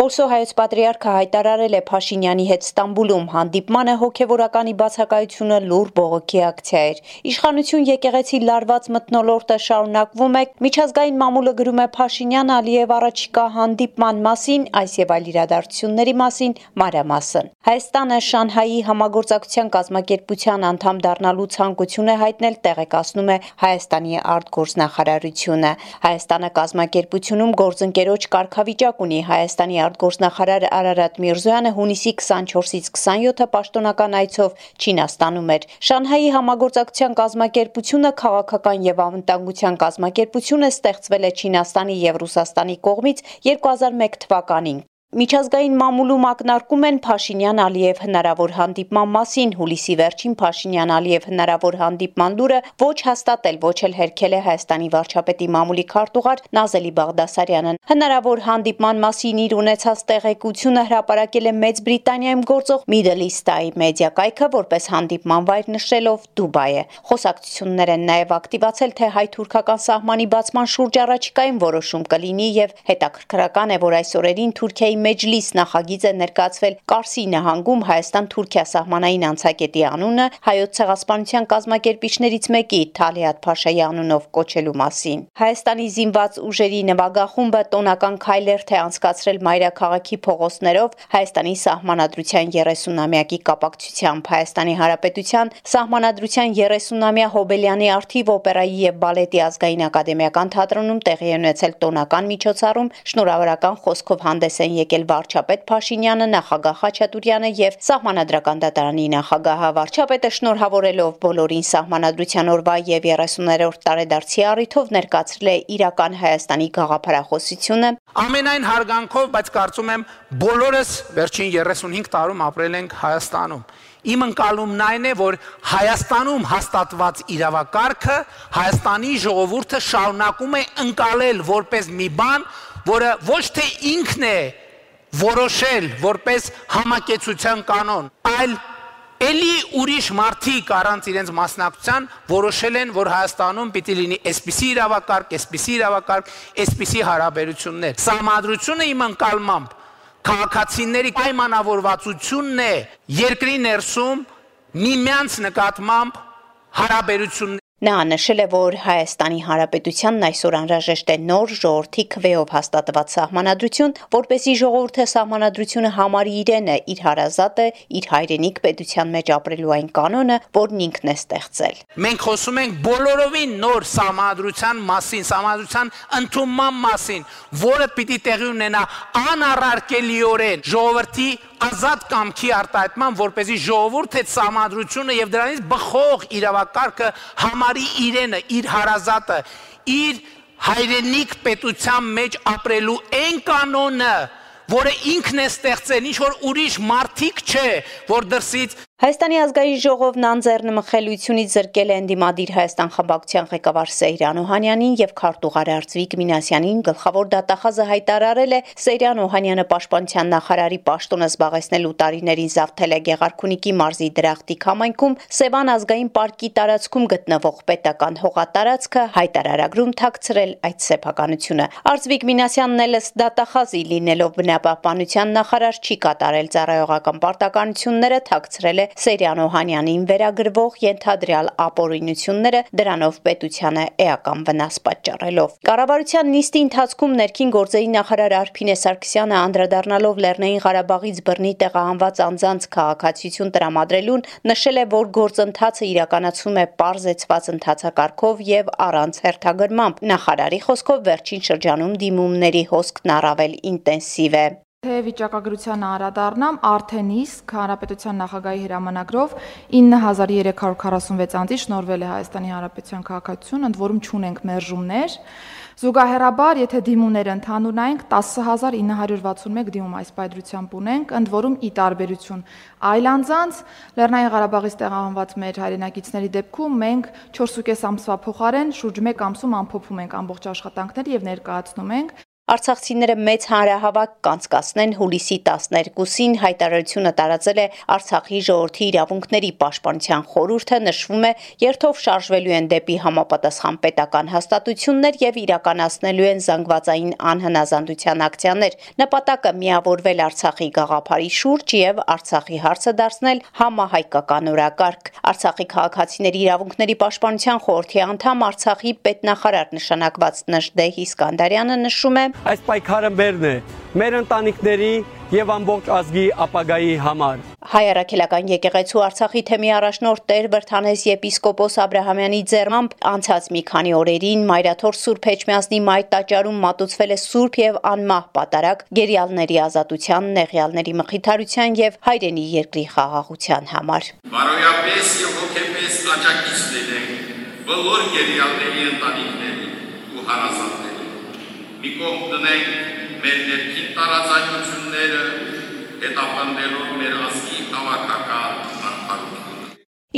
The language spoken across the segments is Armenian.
Պոլսո հայոց պատրիարքը հայտարարել է Փաշինյանի հետ Ստամբուլում հանդիպմանը հոգևորականի բացակայությունը լուր բողոքի ակցիա էր։ Իշխանություն եկեղեցի լարված մթնոլորտը շարունակվում է, միջազգային մամուլը գրում է Փաշինյան Ալիև առաջիկա հանդիպման մասին, այս եւ այլ իրադարձությունների մասին մանրամասն։ Հայաստանը Շանհայի համագործակցության կազմակերպության անդամ դառնալու ցանկություն է հայտնել, տեղեկացնում է Հայաստանի արտգործնախարարությունը։ Հայաստանը կազմակերպությունում գործընկերոջ կարգավիճակ ունի։ Հայաստանի արտգործնախարար Արարատ Միրզոյանը հունիսի 24-ից 27-ը պաշտոնական այցով Չինաստանում էր։ Շանհայի համագործակցության կազմակերպությունը քաղաքական եւ անվտանգության կազմակերպություն է, ստեղծվել է Չինաստանի եւ Ռուսաստանի կողմից 2001 թվականին։ Միջազգային մամուլում ակնարկում են Փաշինյան-Ալիև հնարավոր հանդիպման մասին։ Հուլիսի վերջին Փաշինյան-Ալիև հնարավոր հանդիպման լուրը ոչ հաստատել, ոչ էլ հերքել է Հայաստանի վարչապետի մամուլի քարտուղար Նազելի Բաղդասարյանը։ Հնարավոր հանդիպման մասին իր ունեցած տեղեկությունը հրապարակել է Մեծ Բրիտանիայում գործող Middle East Eye մեդիա կայքը, որպես հանդիպման վայր նշելով Դուբայը։ Խոսակցություններ են նաև ակտիվացել, թե հայ-թուրքական սահմանի բացման շուրջ առաջիկայում որոշում կլինի եւ հետաքրքրական է, որ այս օրերին Թուրքիայի Մեջլիս նախագիծ է ներկայացվել Կարսի նահանգում Հայաստան-Թուրքիա սահմանային անցակետի անունը հայոց ցեղասպանության կազմակերպիչներից մեկի Թալիաթ Փաշայի անունով կոչելու մասին։ Հայաստանի զինված ուժերի նվագախումբը տոնական քայլերթ է անցկացրել մայրաքաղաքի փողոցներով Հայաստանի սահմանադրության 30-ամյակի կապակցությամբ։ Հայաստանի Հանրապետության սահմանադրության 30-ամյա Հոբելյանի արթիվ օպերայի եւ բալետի ազգային ակադեմիական թատրոնում տեղի է ունեցել տոնական միջոցառում, շնորհավորական խոսքով հանդես են եկել վարչապետ Փաշինյանը, նախագահ Խաչատուրյանը եւ Սահմանադրական դատարանի նախագահը։ Վարչապետը շնորհավորելով բոլորին Սահմանադրության օրվա եւ 30-րդ տարեդարձի առիթով ներկայացրել է իրական Հայաստանի գաղափարախոսությունը։ Ամենայն հարգանքով, բայց կարծում եմ բոլորս վերջին 35 տարում ապրել ենք Հայաստանում։ Իմ ընկալումն այն է, որ Հայաստանում հաստատված իրավակարգը Հայաստանի ժողովուրդը շարունակում է ընկալել որպես մի բան, որը ոչ թե ինքն է որոշել որպես համակեցության կանոն, այլ էլի ուրիշ մարդիկ առանց իրենց մասնակցության որոշել են, որ Հայաստանում պիտի լինի այսպիսի իրավակարգ, այսպիսի հարաբերություններ։ Սահմանադրությունը իմ ընկալմամբ քաղաքացիների պայմանավորվածությունն է երկրի ներսում միմյանց նկատմամբ հարաբերություններ։ Նա նշել է, որ Հայաստանի Հանրապետությանն այսօր անհրաժեշտ է նոր ժողովրդի քվեով հաստատված սահմանադրություն, որպեսզի ժողովուրդը սահմանադրությունը համարի իրենը, իր հարազատը, իր հայրենիք պետության մեջ ապրելու այն կանոնը, որն ինքն է ստեղծել։ Մենք խոսում ենք բոլորովին նոր սահմանադրության մասին, սահմանադրության ընդունման մասին, որը պիտի տեղի ունենա անառարկելիորեն ժողովրդի ազատ կամքի արտահայտման, որպեսզի ժողովուրդը այդ սահմանադրությունը եւ դրանից բխող իրավակարգը համարի իրենը, իր հարազատը, իր հայրենիք պետության մեջ ապրելու այն կանոնը, որը ինքն է ստեղծել, ինչ որ ուրիշ մարդիկ չէ, որ դրսից Հայաստանի ազգային ժողովն անձեռնմխելիությունից զրկել է ընդդիմադիր Հայաստան խմբակցության ղեկավար Սեյրան Օհանյանին եւ քարտուղար Արծվիկ Մինասյանին, գլխավոր դատախազը հայտարարել է Սեյրան Օհանյանը պաշտպանության նախարարի պաշտոնը զբաղեցնելու տարիներին զավթել է Գեղարքունիքի մարզի Դրախտիկ համայնքում Սևան ազգային պարկի տարածքում գտնվող պետական հողատարածքը, հայտարարագրում թաքցրել այդ սեփականությունը։ Արծվիկ Մինասյանն էլ ըստ դատախազի լինելով բնապահպանության նախարար չի կատարել ծառայողական պարտականությունները, թաքցրել է Սեյրան Օհանյանին վերագրվող ենթադրյալ ապօրինությունները, դրանով պետությանը էական վնաս պատճառելով։ Կառավարության նիստի ընթացքում ներքին գործերի նախարար Արփինե Սարգսյանը անդրադառնալով Լեռնային Ղարաբաղից բռնի տեղահանված անձանց քաղաքացիություն տրամադրելուն, նշել է, որ գործընթացը իրականացվում է պարզեցված ընթացակարգով եւ առանց հերթագրմամբ։ Նախարարի խոսքով վերջին շրջանում դիմումների հոսքն առավել ինտենսիվ է։ Թե վիճակագրության անդրադառնամ, արդեն իսկ Հանրապետության նախագահի հրամանագրով 9346 անձի շնորհվել է Հայաստանի Հանրապետության քաղաքացիություն, ընդ որում չունենք մերժումներ։ Զուգահեռաբար, եթե դիմումները ընդհանուրնայինք, 10961 դիմում այս պայծրությամբ ունենք, ընդ որում ի տարբերություն այլ անձանց, Լեռնային Ղարաբաղից տեղահանված մեր հայրենակիցների դեպքում մենք 4.5 ամսվա փոխարեն շուրջ 1 ամսում ամփոփում ենք ամբողջ աշխատանքները եւ ներկայացնում ենք։ Արցախցիները մեծ հանրահավաք կանցկացնեն հուլիսի 12-ին հայտարարությունը տարածել է Արցախի ժողովրդի իրավունքների պաշտպանության խորհուրդը, նշվում է երթով շարժվելու են դեպի համապատասխան պետական հաստատություններ եւ իրականացնելու են զանգվածային անհնազանդության ակցիաներ։ Նպատակը միավորվել Արցախի գաղափարի շուրջ եւ Արցախի հարցը դարձնել համահայկական օրակարգ։ Արցախի քաղաքացիների իրավունքների պաշտպանության խորհրդի անդամ Արցախի պետնախարար նշանակված Նժդեհ Իսկանդարյանը նշում է. Այս պայքարը մերն է, մեր ընտանիքների եւ ամբողջ ազգի ապագայի համար։ Հայ առաքելական եկեղեցու Արցախի թեմի առաջնորդ Տեր Վրթանես եպիսկոպոս Աբրահամյանի ձեռամբ անցած մի քանի օրերին Մայրաթոր Սուրբ Էջմիածնի մայր տաճարում մատուցվել է սուրբ եւ անմահ պատարագ գերիալների ազատության, նեղյալների մխիթարության եւ հայրենի երկրի խաղաղության համար։ Բարոյապես եւ հոգեպես աջակից լինենք բոլոր գերիալների ընտանիքներին ու հարազատներին։ Մի կողմ դնենք մեր ներքին տարաձայնությունները, հետապնդելով մեր ազգի հավաքական արդարությունը։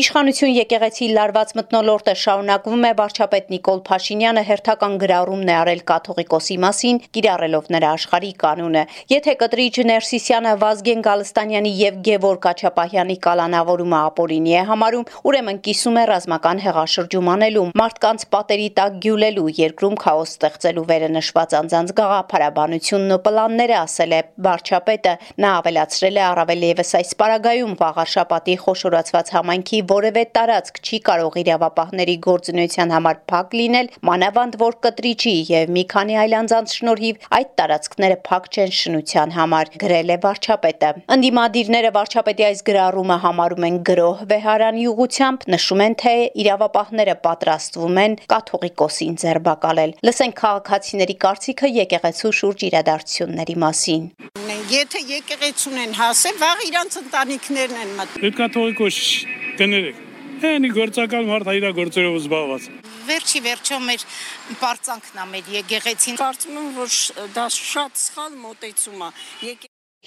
Իշխանություն եկեղեցի լարված մթնոլորտը շարունակվում է, վարչապետ Նիկոլ Փաշինյանը հերթական գրառումն է արել կաթողիկոսի մասին, կիրառելով նրա աշխարհիկ կանոնը։ Եթե կտրիչ Ներսիսյանը, Վազգեն Գալստանյանի եւ Գևորգ Աչապահյանի կալանավորումը ապօրինի է համարում, ուրեմն կիսում է ռազմական հեղաշրջում անելու, մարդկանց պատերի տակ գյուլելու, երկրում քաոս ստեղծելու վերը նշված անձանց գաղափարաբանությունն ու պլանները, ասել է վարչապետը։ Նա ավելացրել է առավել եւս այս պարագայում վաղարշապատի խոշորացված համայնքի որևէ տարածք չի կարող իրավապահների գործունեության համար փակ լինել, մանավանդ որ կտրիչի եւ մի քանի այլ անձանց շնորհիվ այդ տարածքները փակ չեն շնության համար, գրել է վարչապետը։ Ընդդիմադիրները վարչապետի այս գրառումը համարում են գրոհ վեհարանի ուղղությամբ, նշում են, թե իրավապահները պատրաստվում են կաթողիկոսին ձերբակալել։ Լսենք քաղաքացիների կարծիքը եկեղեցու շուրջ իրադարձությունների մասին։ Եթե եկեղեցուն են հասել, վաղ իրանց ընտանիքներն են մտնում։ Կաթողիկոս դներեք։ Հենի գործակալ մարդ իր գործերով զբաղված։ Վերջի վերջո մեր բարձանքն է մեր եկեղեցին։ Կարծում եմ, որ դա շատ սխալ մոտեցում է։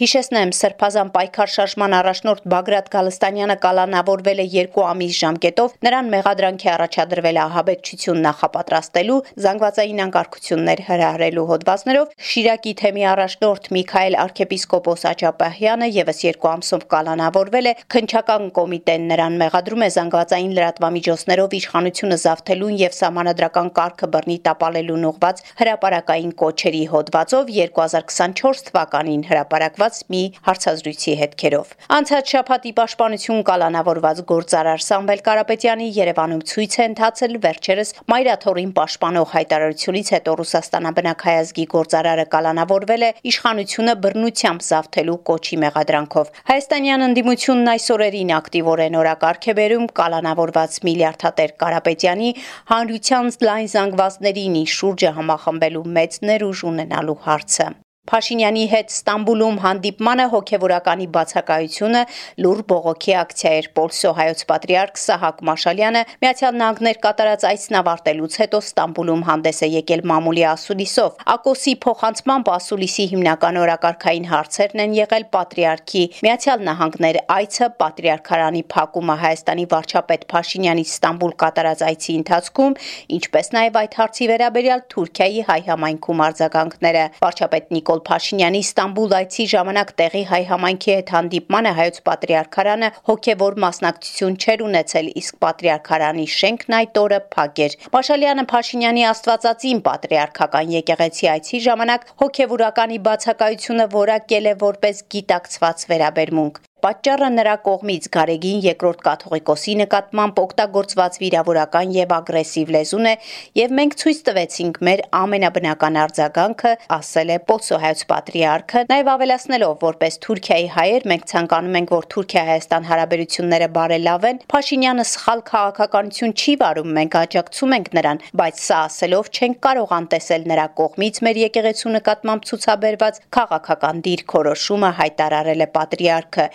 Հիշեցնեմ, Սրբազան պայքար շարժման առաջնորդ Բագրատ Գալստանյանը կալանավորվել է 2 ամիս ժամկետով, նրան մեղադրանքի առաջադրվել է ահաբեկչություն նախապատրաստելու, զանգվածային անկարգություններ հրահրելու հոդվածներով, Շիրակի թեմի առաջնորդ Միքայել arczepiskopos Աչապահյանը եւս 2 ամսով կալանավորվել է, քննչական կոմիտեն նրան մեղադրում է զանգվածային լրատվամիջոցներով իշխանությունը զավթելուն եւ սահմանադրական կարգը բռնի տապալելուն ուղղված հրապարակային կոչերի հոդվածով 2024 թվականին հրապարակված մի հարցազրույցի հետքերով։ Անցած շաբաթի պաշտպանություն կալանավորված գործարար Սամվել Կարապետյանի Երևանում ցույց է ընթացել վերջերս Մայրաթորին պաշտպանող հայտարարությունից հետո Ռուսաստանաբնակ հայազգի գործարարը կալանավորվել է իշխանությունը բռնությամբ զավթելու կոչի մեղադրանքով։ Հայաստանյան ընդդիմությունն այս օրերին ակտիվորեն օրակարգ է բերում կալանավորված միլիարդատեր Կարապետյանի հանրության լայն զանգվածներին իր շուրջը համախմբելու մեծ ներուժ ունենալու հարցը։ Փաշինյանի հետ Ստամբուլում հանդիպմանը հոգևորականի բացակայությունը լուր բողոքի ակցիա էր։ Պոլսո հայոց պատրիարք Սահակ Մաշալյանը Միացյալ Նահանգներ կատարած այցն ավարտելուց հետո Ստամբուլում հանդես է եկել մամուլի ասուլիսով։ Ակոսի փոխանցմամբ ասուլիսի հիմնական օրակարգային հարցերն են եղել պատրիարքի Միացյալ Նահանգներ այցը, պատրիարքարանի փակումը Հայաստանի վարչապետ Փաշինյանի Ստամբուլ կատարած այցի ընթացքում, ինչպես նաև այդ հարցի վերաբերյալ Թուրքիայի հայ համայնքում արձագանքները։ Վարչապետ Նիկոլ Փաշինյանի Ստամբուլ այցի ժամանակ տեղի հայ համայնքի հետ հանդիպմանը հայոց պատրիարքարանը հոգևոր մասնակցություն չէր ունեցել, իսկ պատրիարքարանի շենքն այդ օրը փակ էր։ Մաշալյանը Փաշինյանի աստվածածին պատրիարքական եկեղեցի այցի ժամանակ հոգևորականի բացակայությունը որակել է որպես գիտակցված վերաբերմունք։ Պատճառը նրա կողմից Գարեգին երկրորդ կաթողիկոսի նկատմամբ օգտագործված վիրավորական եւ ագրեսիվ լեզուն է եւ մենք ցույց տվեցինք մեր ամենաբնական արձագանքը, ասել է Պոլսո հայոց պատրիարքը, նաեւ ավելացնելով, որպես Թուրքիայի հայեր մենք ցանկանում ենք, որ Թուրքիա-Հայաստան հարաբերությունները բարելավեն, Փաշինյանը սխալ քաղաքականություն չի վարում, մենք աջակցում ենք նրան, բայց սա ասելով չենք կարող անտեսել նրա կողմից մեր եկեղեցու նկատմամբ ցուցաբերված քաղաքական դիրքորոշումը, հայտարարել է պատրիարքը։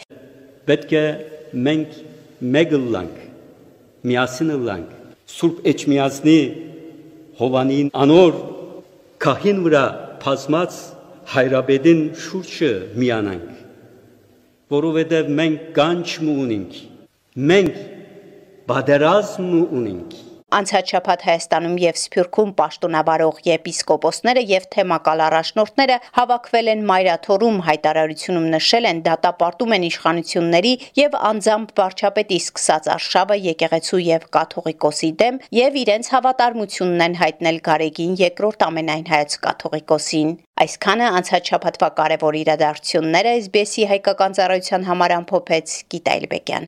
Պետք է մենք մեկ լանք, միասին լանք, Սուրբ Էջմիածնի Հովանին անոր քահին վրա փազմած հայրաբեդին շուրջը միանանք, որովհետև մենք կանչ ունենք, մենք բادرազմ ունենք, Անցած շաբաթ Հայաստանում եւ Սփյուռքում պաշտոնավարող եպիսկոպոսները եւ թեմակալ առաջնորդները հավաքվել են Մայրաթորում, հայտարարությունում նշել են դատապարտում են իշխանությունների եւ անձամբ վարչապետի սկսած արշավը եկեղեցու եւ կաթողիկոսի դեմ եւ իրենց հավատարմությունն են հայտնել Գարեգին II ամենայն հայոց կաթողիկոսին։ Այսքանը անցած շաբաթվա կարևոր իրադարձությունները SBS-ի հայկական ծառայության համար ամփոփեց Գիտա Իլբեկյան։